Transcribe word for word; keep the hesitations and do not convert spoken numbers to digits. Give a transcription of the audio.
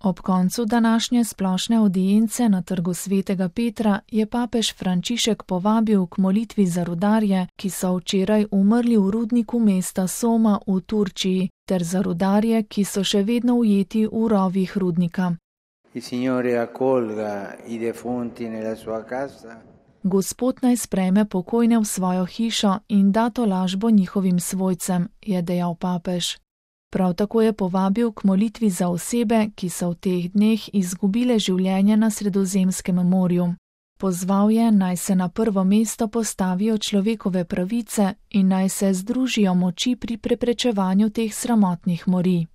Ob koncu današnje splošne audience na trgu svetega Petra je papež Frančišek povabil k molitvi za rudarje, ki so včeraj umrli v rudniku mesta Soma v Turčiji, ter za rudarje, ki so še vedno ujeti v rovih rudnika. Il Signore accolga i defunti nella sua casa. Gospod naj sprejme pokojne v svojo hišo in da tolažbo njihovim svojcem, je dejal papež. Prav tako je povabil k molitvi za osebe, ki so v teh dneh izgubile življenje na Sredozemskem morju. Pozval je, naj se na prvo mesto postavijo človekove pravice in naj se združijo moči pri preprečevanju teh sramotnih morij.